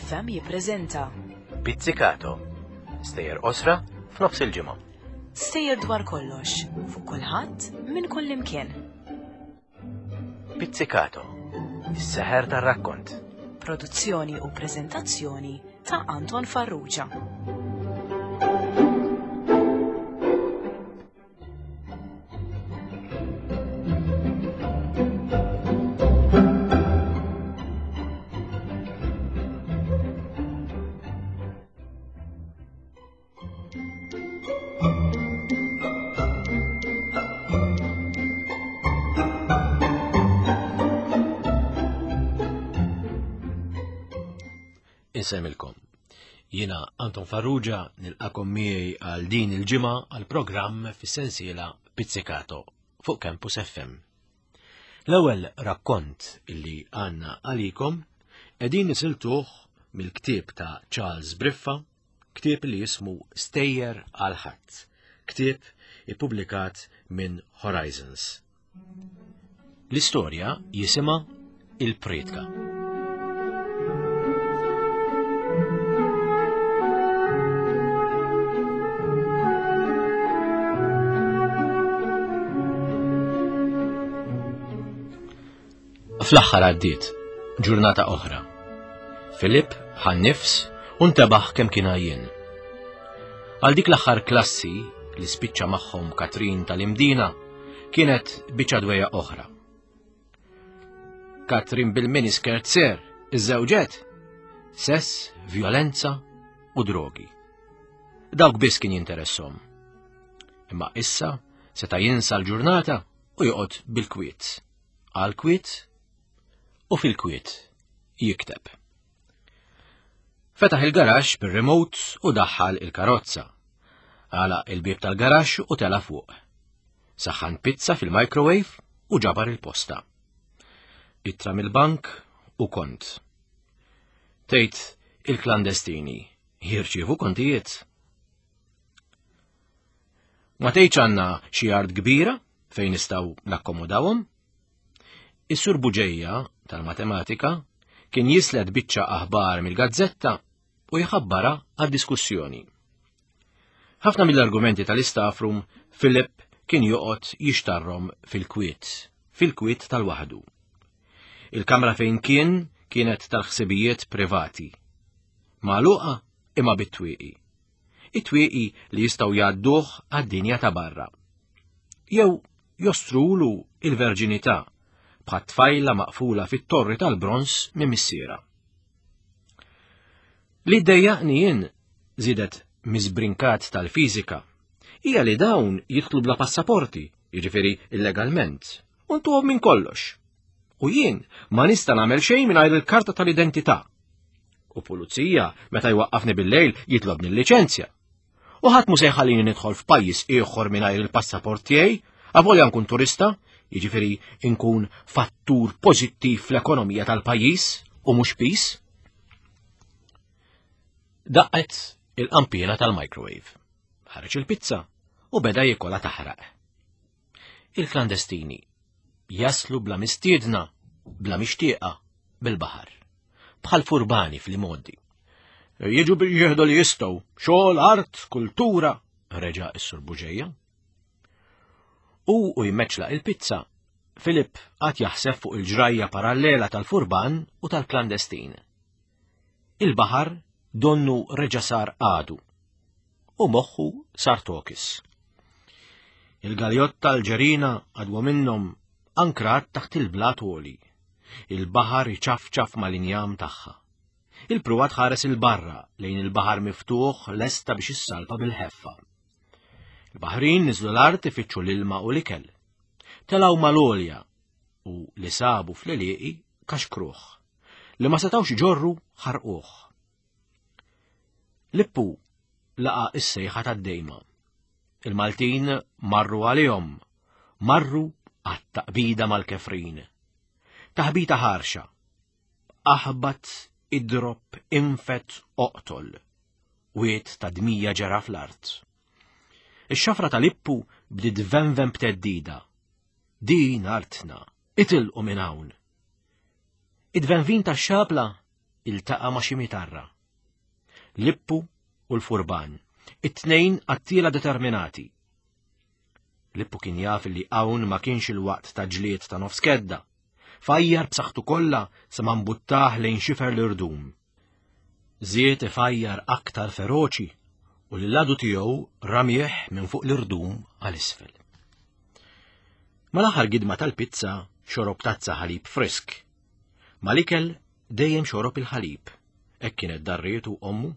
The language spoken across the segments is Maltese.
FM jippreżenta Pizzicato. Stejjer qosra f'nofs il-ġimgħa. Stejjer dwar kollox, fuq kulħadd, minn kullimkien. Pizzicato. Is-seħer tar-rakkont. Produzzjoni u preżentazzjoni ta' Anton Farrugia. Insemmilkom. Jiena Anton Farrugia nilqakom miegħi għal din il-ġimgħa għal programm fis-sensiela Pizzicato fuq Campus FM. L-ewwel rakkont illi għandna għalikom qegħdin nisiltuh mill-ktieb ta' Charles Briffa, ktieb li jismu Stejjer għal ħadd, ktieb ippubblikat minn Horizons. L-istorja jisimha Il-Priedka. Fl-aħħar għaddiet ġurnata oħra. Filip ħa nifs u ntebaħ kemm kien għajjien. Għal dik l-aħħar klassi li spiċċa magħhom Katrin tal-Imdina kienet biċċa dwejja oħra. Katrin bil-miniskirt ser, iżżewġet, sess, violenza u drogi. Dawk biss kien jinteressom. Imma issa seta' jinsa l-ġurnata u joqgħod bil-kwiet. Għal kwiet u fil-kwiet jikteb. Fetaħ il-garaxx bir-remote u daħħal il-karozza. Għalaq il-bieb tal-garaxx u tela' fuq. Saħħan pizza fil-microwave u ġabar il-posta. Ittra mill-bank u kont. Tgħid il-klandestini jirċievu kontijiet. Ma tgħidx għandna xi art kbira fejn nistgħu nakkomodawhom? Is-Sur Buġeja tal-Matematika kien jislet biċċa aħbar mill-gazzetta u jħabbara għad-diskussjoni. Ħafna mill-argumenti tal-istaff room Philip kien joqgħod jixtarrhom fil-kwiet, fil-kwiet tal-waħdu. Il-kamra fejn kien kienet tal-ħsibijiet privati. Magħluqa imma bit-twieqi. It-twieqi li jistgħu jgħadduh għad-dinja ta' barra. Jew jostrulu il-verġinità bħat-tfajla maqfula fit-torri tal-bronż minn missiera. Li ddejjaqni jien, żiedet Miss Brincat tal-fiżika, hija li dawn jidħlu bla passaporti, jiġifieri illegalment, u ntuhom minn kollox. U jien ma nista' nagħmel xejn mingħajr il-karta tal-identità. U pulizija meta jwaqqafni bil-lejl jitlobni l-liċenzja. U ħadd mhu se jħallini nidħol f'pajjiż ieħor mingħajr il-passaport tiegħi, avolja nkun turista, jiġifieri nkun fattur pożittiv fl-ekonomija tal-pajjiż u mhux piż. Daqqet il-qampiena tal-microwave. Ħareġ il-pizza u beda jikola taħraq. Il-klandestini jaslu bla mistiedna, bla mixtieqa, bil-baħar. Bħal furbani fl-imoddi. Jiġu biex jieħdu li jistgħu, xogħol, art, kultura, reġa' is-Sur Buġeja. U u jmeċla il-pizza, Filip għad jaħseb fuq il-ġrajja parallela tal-furban u tal-klandestin. Il-baħar donnu reġa' sar għadu u moħħu sar tokis. Il-galjotta l-ġerina għadwa minnhom ankrat taħt il-blat għoli. Il-baħar iċafċaf mal-injam tagħha. Il-pruwa tħares il-barra lejn il-baħar miftuħ lesta biex issalpa bil-ħeffa. Il-baħrin niżlu l-art ifittxu l-ilma u l-ikel. Telgħu mal-għolja u li sabu fl-għelieqi kaxkruh. Li ma setgħux iġorru ħarquh. Lippu laqa' is-sejħa tad-dejma. Il-Maltin marru għalihom, marru għat-taqbida mal-kefrin. Taħbita ħarxa. Aħbat, idrob, infet, oqtol. Wied ta' dmija ġera fl-art. Ix-xafra tal-Lippu bdiet tvenven b'theddida. Din artna, itilqu minn hawn. Id-tvenvin tax-xabla. iltaqa' ma' xi mitarra. Lippu u l-furban, it-tnejn qattiela determinati. Lippu kien jaf li hawn ma kienx il-waqt ta' ġlied ta' nofs kedda. Fajjar b'saħħtu kollha sa ma mbuttah lejn xifer l-irdum. Żied ifajjar aktar feroċi u lill-għadu tiegħu ramih minn fuq l-irdum għal isfel. Mal-aħħar gidma tal-pizza xorob tazza ħalib frisk. Mal-ikel dejjem xorob il-ħalib. Hekk kienet darrietu ommu.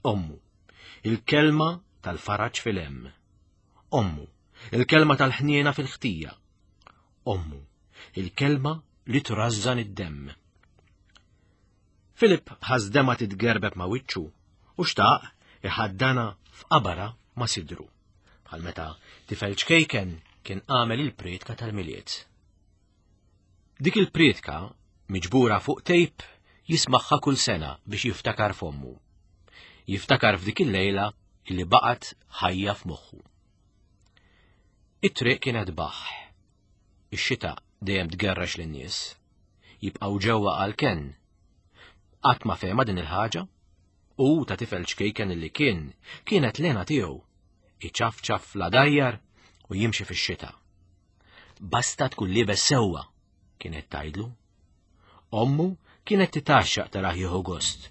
Ommu. Il-kelma tal-faraġ fil-hemm. Ommu. Il-kelma tal-ħniena fil-ħtija. Ommu. Il-kelma li trażżan id-demm. Filip ħass dema titgerbeb ma' wiċċu u xtaq iħaddana f'qabara ma' sidru. Bħal meta tifel ċkejken kien għamel il-prietka tal-Milied. Dik il-prietka, miġbura fuq tejp, jismagħha kull sena biex jiftakar f'ommu. Jiftakar f'dik il-lejla illi baqgħet ħajja f'moħħu. It-triq kienet baħ. Ix-xita dejjem tgerrex lin-nies. Jibqgħu ġewwa għal kenn. Qatt ma fehma din il-ħaġa. U ta' tifel ċkejken illi kien, kienet l-hena tiegħu. Iċafċaf l-għadajjar u jimxi fix-xita. Basta tkun liebes sewwa, kienet tgħidlu. Ommu kienet titgħaxxaq tarah jieħu gost,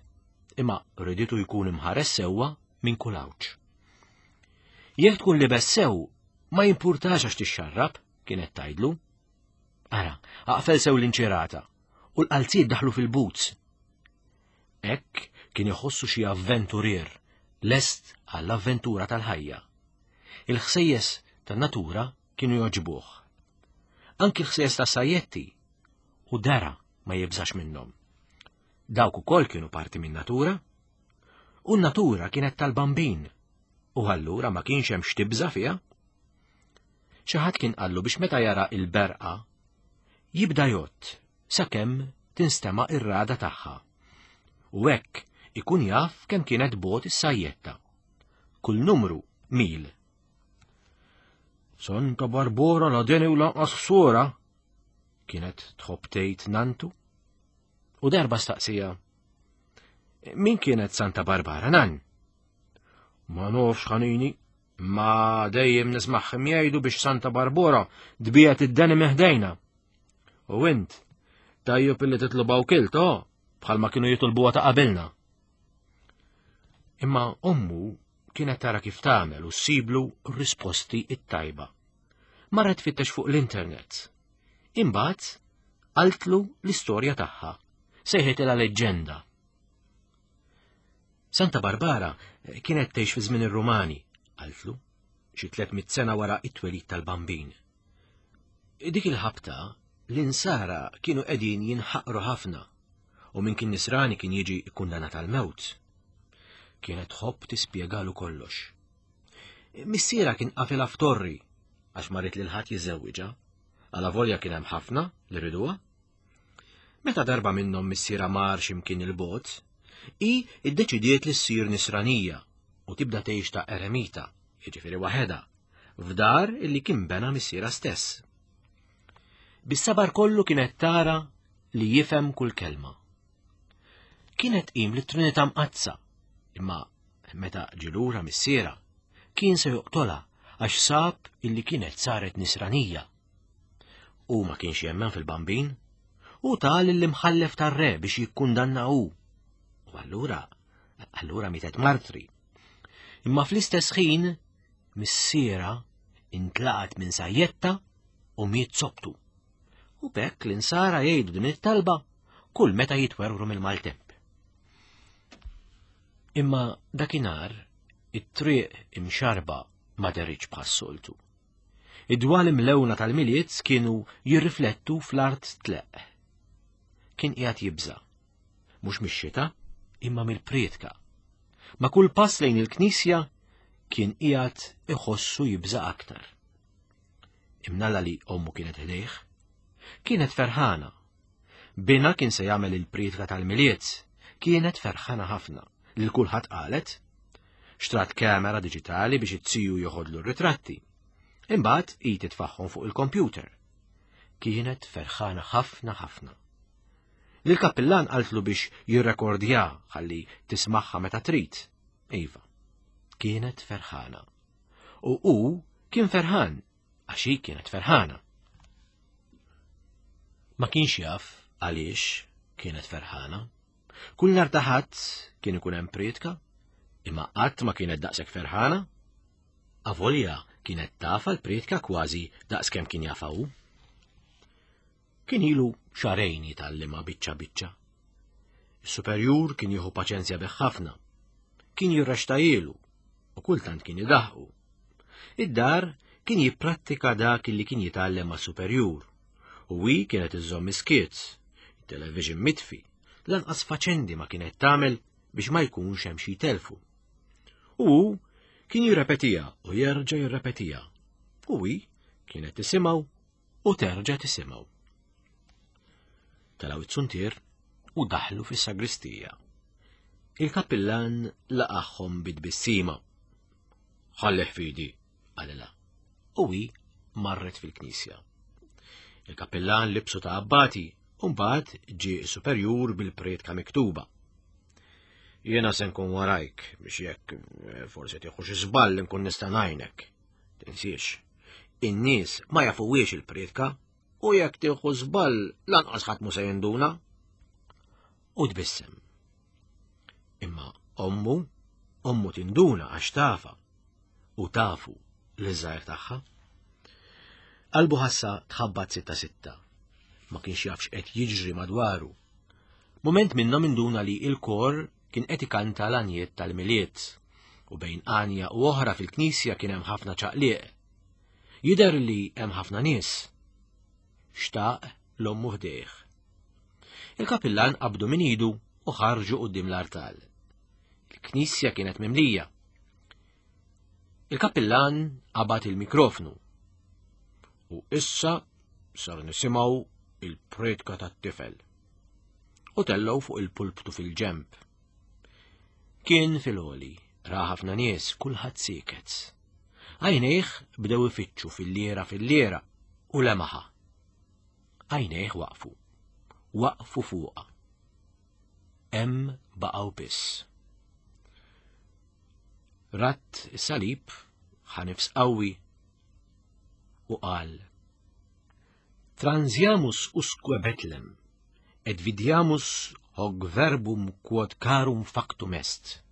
imma riditu jkun imħares sewwa minn kull għawġ. Jekk tkun libes sew, ma jimpurtax għax tixxarrab, kienet tgħidlu. Ara, aqfel sew l-inċirata u l-qalziet daħlu fil-boots. Hekk kien iħossu xi avventurier lest għall-avventura tal-ħajja. Il-ħsejjes tan-natura kienu jogħġbuh. Anki l-ħsejjes ta' sajjetti u dara ma jibżax minnhom. Dawk ukoll kienu parti min-natura. U n-natura kienet tal-bambin u allura ma kienx hemm x'tibża' fiha. Xi ħadd kien qallu biex meta jara il-berqa jibda jgħodd sakemm tinstema' ir-rada tagħha. U hekk ikun jaf kemm kienet bogħod is-sajjetta. Kull numru mil. Santa Barbora la deni u lanqas ħsura, kienet tħobb tgħid nantu. U darba staqsija, min kienet Santa Barbara nan? Ma nofx ħanini, ma dejjem nismaħħim jgħidu biex Santa Barbora dbijet id-deni meħdejna. U int, tajjeb illi titlubaw kilt, oh, bħalma kienu jitolbuha ta' qabilna. Imma ommu kienet tara kif tagħmel u ssiblu risposti it-tajba. Marret tfittex fuq l-internet. Imbagħad qaltlu l-istorja tagħha, sejħetilha leġġenda. Santa Barbara kienet tgħix fi żmien ir-Rumani, qaltlu, xi 300 sena wara it-twelid tal-Bambin. Dik il-ħabta l-insara kienu qegħdin jinħaqru ħafna u min kien nisrani kien jiġi kkundanat għall-mewt. Kienet tħobb tispjegalu kollox. Missiera kien qafilha f'torri għax ma ried lil ħadd jiżżewwiġha, alavolja kien hemm ħafna li riduha. Meta darba minnhom missiera mar x'imkien il-bogħod, hi ddeċidiet li ssir nisranija u tibda tgħix ta' eremita, jiġifieri waħedha, f'dar illi kien bena missiera stess. Bis-sabar kollu kienet tara li jifhem kull kelma. Kienet tqim lit-Trinità Mqaddsa, imma meta ġie lura missiera, kien se joqtolha għax sab illi kienet saret nisranija. U ma kienx jemmen fil-bambin, u ta lill-imħallef tar-re biex jikkundanna hu. U allura, allura mietet martri. Imma fl-istess ħin, missiera intlaqat minn sajjetta u miet sobtu. U b'hekk l-insara jgħidu din it-talba kull meta jitwerwru mill-maltemp. Imma dakinhar it-triq imxarba ma deritx bħas-soltu. Id-dwal imlewna tal-Milied kienu jirriflettu fl-art tleqq. Kien qiegħed jibża'. Mhux mix-xita, imma mill-prietka. Ma' kull pass lejn il-knisja kien qiegħed iħossu jibża' aktar. Imnalla li ommu kienet ħdejh. Kienet ferħana. Bina kien se jagħmel il-prietka tal-Milied. Kienet ferħana ħafna lil kulħadd qalet. Xtrat kamera diġitali biex it-tiju joħodlu r-ritratti. Imbagħad hi titfaħħom fuq il-kompjuter. Kienet ferħana ħafna ħafna. Lill-kappillan qaltlu biex jirrekordja ħalli tismagħha meta trid. Iva, kienet ferħana. U hu kien ferħan għax hi kienet ferħana. Ma kienx jaf għaliex kienet ferħana. Kull nhar ta' Ħadd kien ikun hemm prietka, imma qatt ma kienet daqshekk ferħana. Avolja kienet tafa l-prietka kważi daqskemm kien jafha hu. Kien ilu xahrejn jitgħallimha biċċa biċċa. Is-superjur kien jieħu paċenzja bih ħafna. Kien jirrextajielu u kultant kien idaħqu. Id-dar kien jipprattika dak li kien jitgħallem mas-superjur. U hi kienet iżżomm iskiet, it-television mitfi, lanqas faċendi ma kienet tagħmel biex ma jkunx hemm xi jtelfu. U hu kien jirrepetiha u jerġa' jirrepetiha. U hi kienet tisimgħu u terġa' tisimgħu. Telgħu it-suntier u daħlu fis-sagristija. Il-kappillan laqagħhom bit-tbissima. Ħallih fidi, qalilha. U hi marret fil-knisja. Il-kappillan libsu ta' abbati u mbagħad ġie superjur bil-prietka miktuba. Jiena se nkun warajk biex jekk eh, forsi tieħu xi żball nkun nista' ngħinek. Tinsiex, in-nies ma jafuwiex il-prietka u jekk tieħu żball lanqas ħadd mu se jinduna. U tbissem. Imma ommu, ommu tinduna għax tafa u tafu li żgħir tagħha. Qalbu ħassa tħabbat sitta sitta. Ma kienx jafx qed jiġri madwaru. Moment minnhom induna li il-kor kien qed ikanta l-għanjiet tal-Milied u bejn għanja u oħra fil-knisja kien hemm ħafna ċaqliq. Jidher li hemm ħafna nies. Xtaq l-ommu ħdejh. Il-kapillan qabdu minn idu u ħarġu quddiem l-artal. Il-knisja kienet mimlija. Il-kappillan qabad il-mikrofnu. U issa sar nisimgħu il-pretka tat-tifel. U tellgħu fuq il-pulptu fil-ġemp. Kien fil-għoli, ra ħafna nies, kulħadd sieket. Għajnejh bdew ifittxu fil-liera fil-liera u lemaħa. Għajnejh waqfu. Waqfu fuqha. Hemm baqgħu biss. Rat is-salib, ħa nifs qawwi u qal Transiamus usque Betlem, et vidiamus hoc verbum quod carum factum est.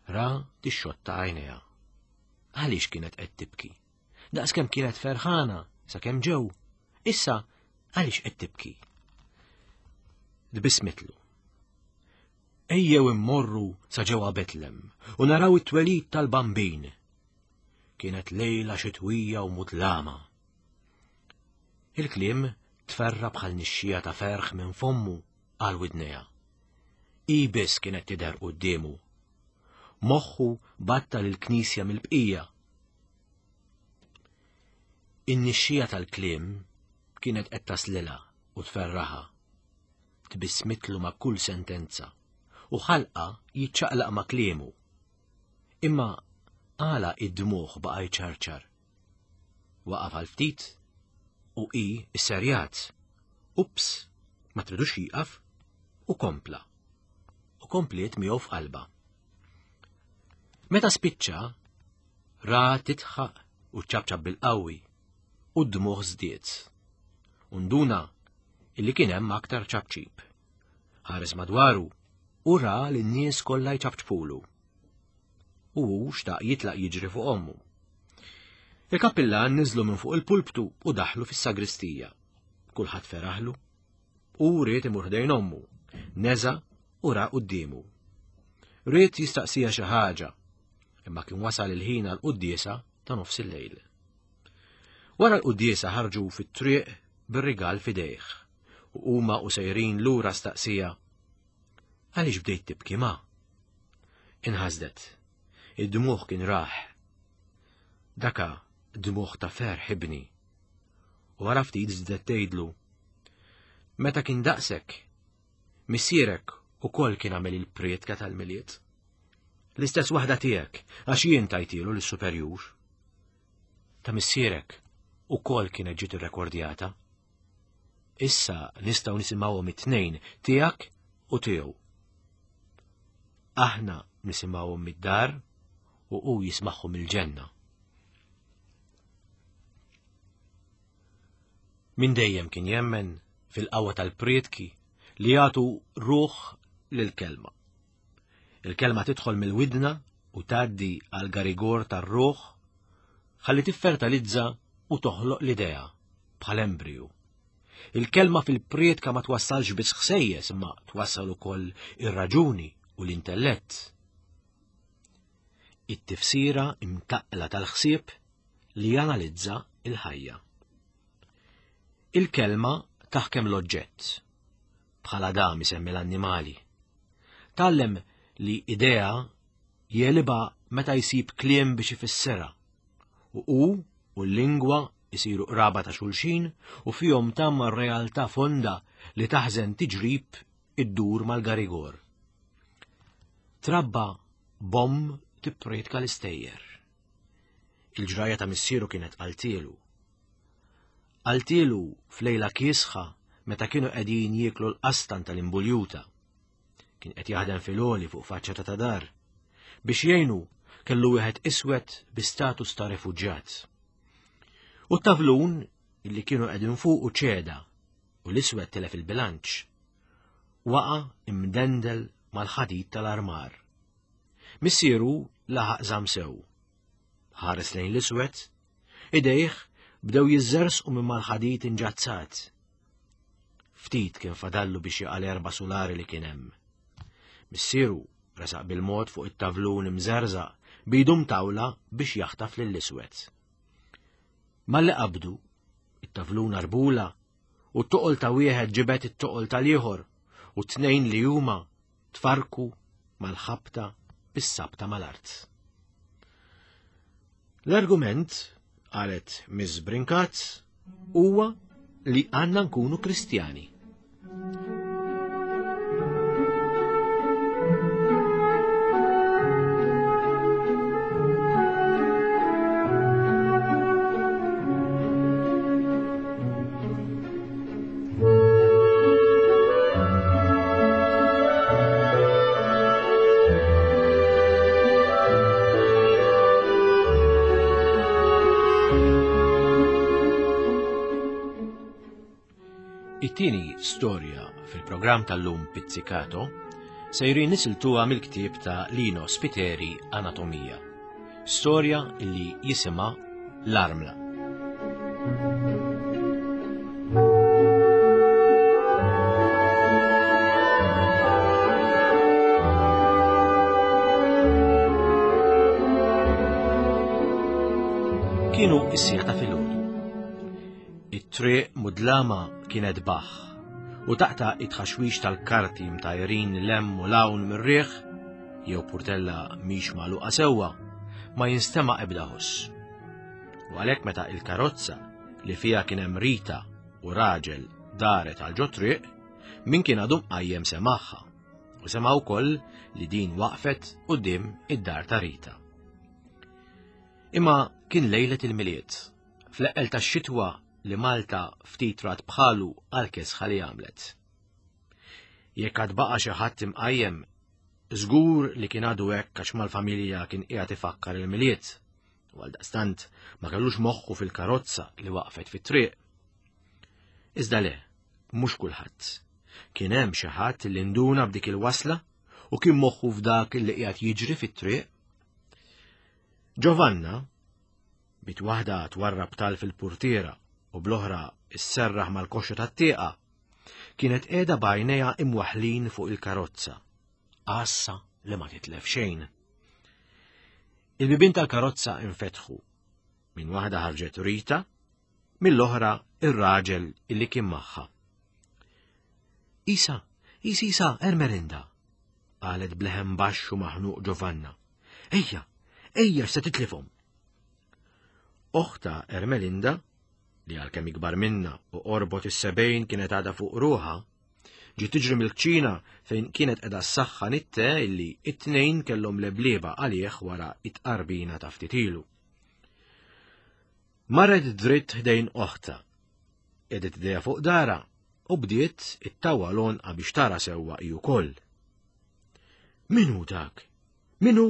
Ra tixxotta għajnejha. Għaliex kienet qed tibki? Daqskemm kienet ferħana sakemm ġew. Issa għaliex qed tibki? Tbissmitlu. Ejjew immorru sa ġewwa Betlem u naraw it-twelid tal-Bambin. Kienet lejla xitwija u mudlama. Il-kliem tferra bħal nixxija ta' ferħ minn fommu għal widnejha. Hi biss kienet tidher quddiemu. Moħħu battal il-knisja mill-bqija. In-nixxija tal-kliem kienet qed taslilha u tferraħha. Tbissmitlu ma' kull sentenza u ħalqa jiċċaqlaq ma' kliemu. Imma għala id-dmugħ baqa' jċarċar? Waqaf għal ftit u hi sserjat. Ups, ma tridux jieqaf u kompla. U kompliet miegħu f'qalba. Meta spiċċa, ra titħaq u ċabċab bil-qawwi u d-dmugħ żdied. U nduna illi kien hemm aktar ċapċip. Ħares madwaru u ra li n-nies kollha jċapċpulu. U hu xtaq jitlaq jiġri fuq ommu. Il-kappillan niżlu minn fuq il-pulptu u daħlu fis-sagristija. Kulħadd feraħlu. U ried imur ħdejn ommu. Neża u ra quddiemu. Ried jistaqsija xi ħaġa, imma kien wasal il-ħin għal quddiesa ta' nofs il-lejl. Wara l-quddiesa ħarġu fit-triq bir-rigal f'idejh u huma u sejrin lura staqsija Għaliex bdejt tibki ma? Inħasdet. Id-dmuħ kien raħ. Daka dmuħ ta' ferħ ibni. U wara ftit żdet tgħidlu. Meta kien daqsek, missierek ukoll kien għamel il-prietka tal-Milied. L-istess waħda tiegħek, għax jien tajtilu lis-superjur. Ta' missierek ukoll kienet ġiet irrekordjata. Issa nistgħu nisimgħuhom it-tnejn tiegħek u tiegħu. Aħna nisimgħuhom mid-dar u hu jismagħhom il-ġenna. Min dejjem kien jemmen fil-qawwa tal-prietki li jagħtu ruħ lill-kelma. Il-kelma tidħol mill-widna u tgħaddi għal garigor tar-ruħ ħalli tiffertalizza u toħloq l-idea bħal embriju. Il-kelma fil-prietka ma twassalx biss ħsejjes imma twassal ukoll ir-raġuni u l-intellett. It-tifsira imtaqqla tal-ħsieb li janalizza il-ħajja. Il-kelma taħkem l-oġġett, bħala dam isemmi l-annimali. Tgħallem li idea jegħlibha meta jsib kliem biex ifissirha. U hu u l-lingwa jsiru qraba ta' xulxin u fihom tgħammar realtà fonda li taħżen tiġrib iddur mal-garigor. Trabba b'omm tippriedka l-istejjer. Il-ġrajja ta' missieru kienet qaltielu. Qaltielu f'lejla kiesħa meta kienu qegħdin jieklu l-qastan tal-imbuljuta. Kien qed jaħdem fil-għoli fuq faċċata ta' dar. Biex jgħinu kellu wieħed iswed bi status ta' refuġjat. U t-tavlun illi kienu qegħdin fuqu ċeda u l-iswed tilef il-bilanċ. Waqa' imdendel mal-ħadid tal-armar. Missieru laħaq żamm sew. Ħares lejn l-iswed, idejh bdew jiżżersqu minn mal-ħadid inġazzat. Ftit kien fadallu biex jaqa' l-erba' sulari li kien hemm. Missieru resaq bil-mod fuq it-tavlun imżerżaq b'idu mtawla biex jaħtaf lill-iswed. Malli qabdu, it-tavlun arbula u t-toqol ta' wieħed ġibed it-toqol tal-ieħor u t-tnejn li huma tfarrku mal-ħabta bis-sabta mal-art. L-argument, qalet Miss Brincat, huwa li għandna nkunu Kristjani. It-tieni storja fil-programm tal-lum Pizzicato sejrin nisiltuha mill-ktieb ta' Lino Spiteri Anatomija. Storja li jisimha L-Armla. Kienu is-siegħa ta' filgħodu. It-triq mudlama kienet baħ u taqta' it-tħaxwix tal-karti mtajrin lem u lawn mir-riħ jew purtella mhix magħluqa sewwa, ma jinstema' ebda ħoss. U għalhekk meta il-karozza li fiha kien hemm Rita u raġel daret għal ġo triq, min kien għadu mqajjem semagħha u sema' wkoll li din waqfet quddiem id-dar ta' Rita. Imma kien lejlet il-Milied, fl-eqqel tax-xitwa li Malta ftit rat bħalu għal kesħa li għamlet. Jekk għad baqa' xi ħadd imqajjem, żgur li kien għadu hekk għax mal-familja kien qiegħed ifakkar il-Milied. U għaldaqstant ma kellux moħħu fil-karozza li waqfet fit-triq. Iżda le, mhux kulħadd. Kien hemm xi ħadd li nduna b'dik il-wasla u kien moħħu f'dak li qiegħed jiġri fit-triq. Giovanna, bit waħda twarrab tal fil-purtiera u bl-oħra isserraħ mal-koxxa tat-tieqa, kienet qiegħda b'għajnejha imwaħħlin fuq il-karozza, għassa li ma titlef xejn. Il-bibien tal-karozza infetħu. Minn waħda ħarġet Rita, mill-oħra ir-raġel illi kien magħha. Isa, Isa, Isa, Ermerinda, qalet bleħen baxx u maħnuq Giovanna. Ejja, ejja x'se titlifhom. Oħta Ermelinda li għalkemm ikbar minna u qorbot is-sebgħin kienet għadha fuq ruħha, ġiet tiġri mill-kċina fejn kienet qiegħda ssaħħan it-te illi it-tnejn kellhom leblieba għalih wara it-tqarbina ta' ftit ilu. Marret dritt ħdejn oħta. Qiegħdet idejha fuq dara U bdiet ittawwa l-għonqa biex tara sewwa hi wkoll. Min hu dak? Min hu?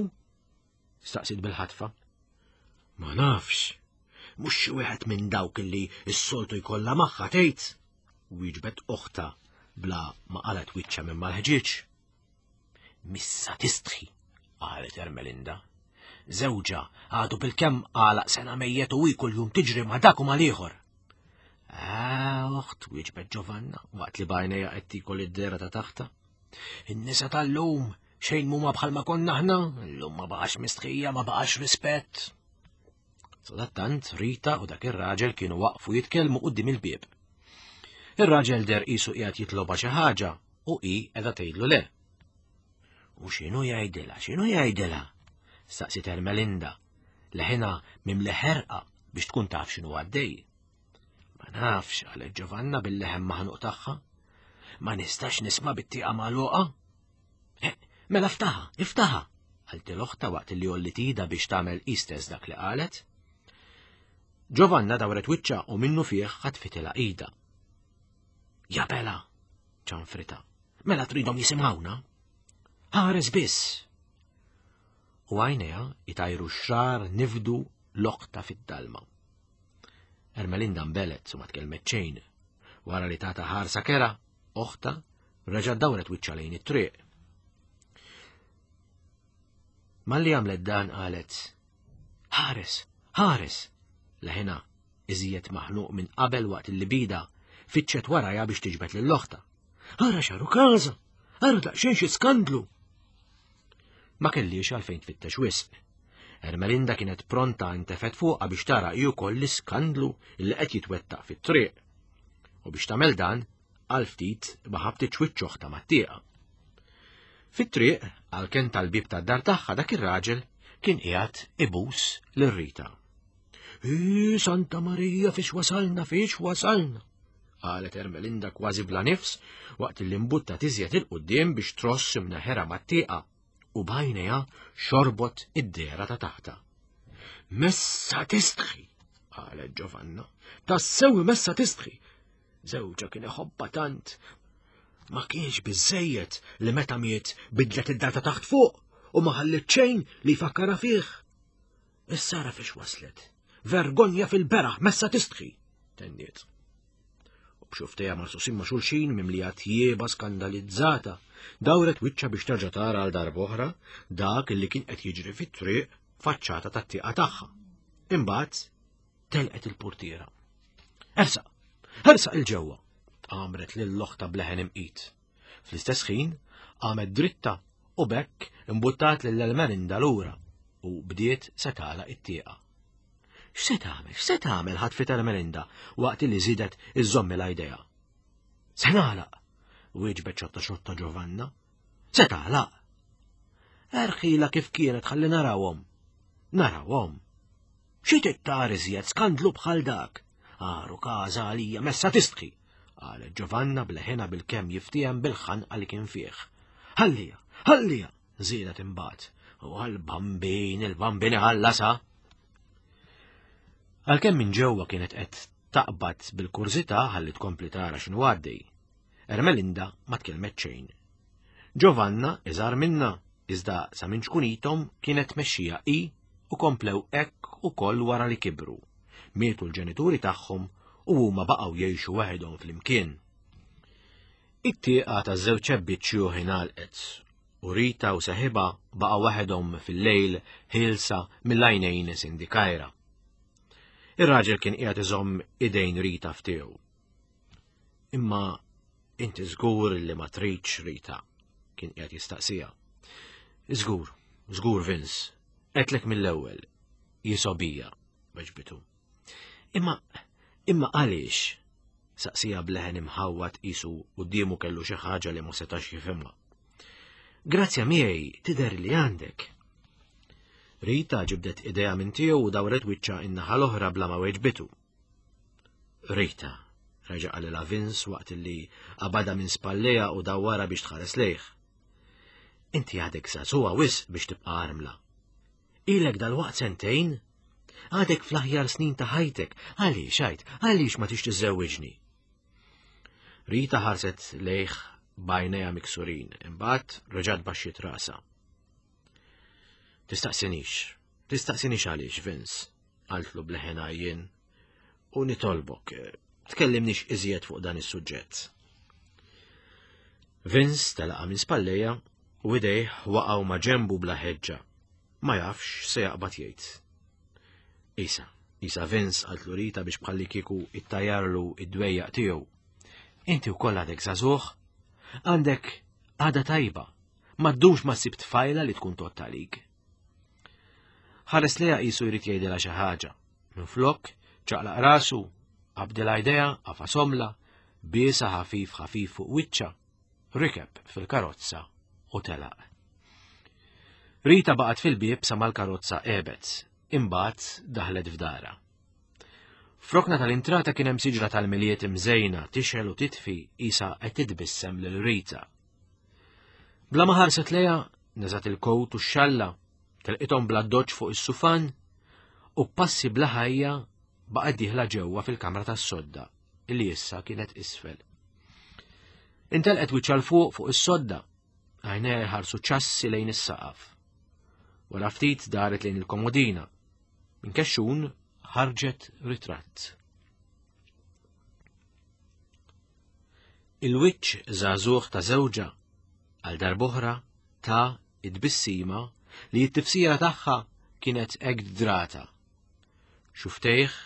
Staqsiet bil-ħatfa. Ma nafx. Mhux xi wieħed minn dawk illi s-soltu jkollha magħha tgħid. Wieġbet oħta bla ma qalet wiċċha minn mal-ħġieġ. Missa tistħi, qalet Ermelinda. Żewġha għadu bil-kemm għalaq sena mejjet u hi kuljum tiġri ma' dak u mal-ieħor. Ah, oħt, wieġbet Giovanna, waqt li bajnejha qed tikol id-dera ta' taħta. In-nisa tal-lum xejn mhuma bħalma konna aħna, illum ma baqax mistħija, ma baqax rispett. Sadattant Rita u dak ir-raġel kienu waqfu jitkellmu quddiem il-bieb. Ir-raġel der qisu qiegħed jitloba xi ħaġa u hi qiegħda tgħidlu le. U x'inhu jgħidilha, x'inhu jgħidilha? Staqsiet Ermelinda, leħinha mimli ħerqa biex tkun taf x'inhu għaddej. Ma nafx, qalet Giovanna bil-leħen maħnuq tagħha. Ma nistax nisma' bit-tieqa magħluqa. Eh, mela ftaħa, iftaħa, qalti l-oħta waqt li għollit ida biex tagħmel istess dak li qalet. Giovanna dawret wiċċa u minnu fih ħatfitilha ida. Jabela, ċanfrita, mela tridhom jisimgħuna? Ħares biss. U għajnejha itajru xrar nifdu l-oqta fid-dalma. Ermelinda mbelet u ma tkellmet xejn. Wara li tata ħarsa kera, oħta reġa' dawret wiċċha lejn it-triq. Malli għamlet dan qalet, Ħares, ħares! Leħinha iżjed maħnuq minn qabel waqt li bida fitxet warajha biex tiġbed lil oħta. Ara xaru każa! Ara daqsxejn xi skandlu! Ma kellix għalfejn tfittex wisq. Ermelinda kienet pronta intefet fuqha biex tara hi wkoll l-iskandlu li qed jitwettaq fit-triq. U biex tagħmel dan, għal ftit ma ħabtitx wiċċ oħtha mat-tieqa. Fit-triq, għall-kenn tal-bieb tad-dar tagħha dak ir-raġel kien qiegħed ibus lil Rita. Hi, Santa Marija, fiex wasalna, fiex wasalna! qalet Ermelinda kważi bla nifs waqt li mbutta tiżjed il-qudiem biex tross imneħera mat-tieqa u b'għajnejha xorbot id-dehra ta' taħta. Messa tistħi, qalet Giovanna, tassew messa tistħi, Żewġha kien iħobbha tant. Ma kienx biżejjed li meta miet bidlet id-data taħt fuq u ma ħallit xejn li jfakkarha fih. Issa ara fiex waslet. Vergonja fil-beraħ messa tistħi, tenniet. U b'xuftejha marsusin ma' xulxin mimlija tjieba skandalizzata, dawret wiċċha biex terġa' tara għal darb'oħra dak li kien qed jiġri fit-triq faċċata tat-tieqa tagħha. Imbagħad telqet il-portiera. Ersaq, ersaq il-ġewwa, għamret lil oħta bleħen imqit. Fl-istess ħin, għamet dritta u bekk imbuttat lil Elmerinda lura u bdiet se tagħlaq it-tieqa. X'se tagħmel, x'se tagħmel ħatfit Ermelinda waqt li żidet iżżommilha idejha. Se nagħlaq, wieġbet xotta xotta Giovanna. Se tagħlaq. Erħila kif kienet ħalli narawhom. Narawhom. Xi tittar iżjed skandlu bħal dak? Għaru każa għalija messa tistħi, qalet Giovanna bleħena bil-kemm jiftiehem bil-ħanqa li kien fih. Ħallija, ħallija, żiedet imbagħad. U għall-bambin, il-bambin iħallasha. Għalkemm minn ġewwa kienet qed taqbad bil-kurżità ħalli tkompli tara x'inhu għaddej. Ermelinda ma tkellmet xejn. Giovanna iżgħar minnha, iżda sa minn ċkunithom kienet tmexxija hi u komplew hekk ukoll wara li kibru. Mietu l-ġenituri tagħhom u huma baqgħu jgħixu waħedhom flimkien. It-tieqa taż-żewġ ebbiet xjuħ ingħalqet u Rita u seħibha baqgħu waħedhom fil-lejl ħielsa mill-għajnejn sindikajra. Ir-raġel kien qiegħed iżomm idejn Rita f'tiegħu. Imma inti żgur li ma tridx Rita, kien qiegħed jistaqsija. Żgur, żgur Vince, għedtlek mill-ewwel, jisobija, weġbitu. Imma, imma għaliex? Saqsija bleħen imħawwad qisu quddiemu kellu xi ħaġa li ma setax jifhimha. Grazzja miegħi tidher li għandek. Rita ġibdet idea minn tiegħu u dawret wiċċha in-naħa l-oħra bla ma weġbitu. Rita, reġa' qalilha Vince waqt li qabadha minn spallejha u dawwarha biex tħares lejh. Inti għadek żagħżugħa wisq biex tibqa' armla. Ilek dalwaqt sentejn? Għadek fl-aħjar snin ta' ħajtek, għaliex għid, għaliex ma tix tiżżewwiġni? Rita ħarset lejh b'għajnejha miksurin, imbagħad reġgħet baxxiet rasha. Tistaqsinix, tistaqsinix għaliex, Vince, qaltlu bleħen għajjien, u nitolbok, tkellimnix iżjed fuq dan is-suġġett. Vince telaqa minn spallejja u idejh waqgħu ma' ġembu bla ħeġġa. Ma jafx se jaqbad jgħid. Isa, isa Vince qaltlu Rita biex bħalli kieku ittajarlu id-dwejjaq tiegħu. Inti wkoll għadek żagħżugħ, għandek għada tajba, ma ddumx ma ssib tfajla li tkun tott għalik. Ħares lejha qisu jrid jgħidilha xi ħaġa. Minflok, ċaqlaq rasu, qabdilha idea, għafasomla, biesa ħafif ħafif fuq wiċċa, rikeb fil-karozza u telaq. Rita baqgħet fil-bieb sa mal-karozza għebet, imbagħad daħlet f'dara. F'rokna tal-intrata kien hemm siġra tal-miliet imżejna tixgħel u titfi qisha qed titbissem lil Rita. Bla ma ħarset lejha, neżgħet il-kowt u x-xalla, telqithom bla doċ fuq is-sufan u passi bla ħajja baqgħet dieħla ġewwa fil-kamra tas-sodda illi issa kienet isfel. Intelqet wiċċha 'l fuq fuq is-sodda, għajnejha jħarsu ċassi lejn is-saqaf. Wara ftit daret lejn il-komodina. Minn kexxun ħarġet ritratt. Il-wiċċ żagħżugħ ta' żewġha għal darb'oħra ta' id-bissima li t-tifsira tagħha kienet hekk drata. Xuftejh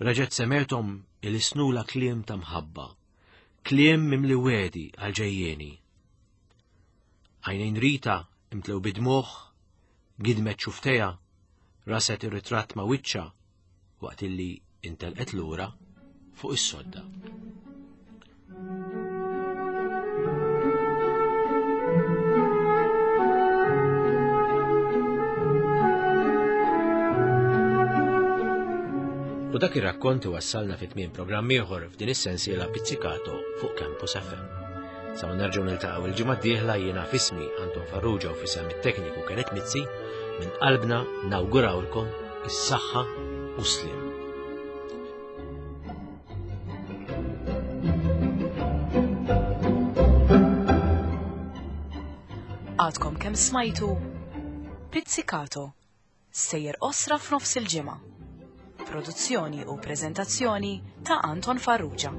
reġgħet semgħethom ilisnula kliem ta' mħabba, kliem mimli wegħdi għal ġejjieni. Għajnejn Rita imtlew bid-dmugħ, gidmet xuftejha, raset ir-ritratt ma' wiċċha waqt illi intelqet lura fuq is-sodda. U dak ir-rakkont wassalna fi tmiem programm ieħor f'din is-sensiela Pizzicato fuq Campus FM. Sa ma nerġgħu niltaqgħu il-ġimgħa d-dieħla jiena fismi Anton Farrugia u fisem it-tekniku Kenneth Mizzi minn qalbna nawgurawlkom is-saħħa u slim. Għadkom kemm smajtu Pizzicato sejjer osra f'nofs il-ġimgħa. Produzzjoni u preżentazzjoni ta' Anton Farrugia.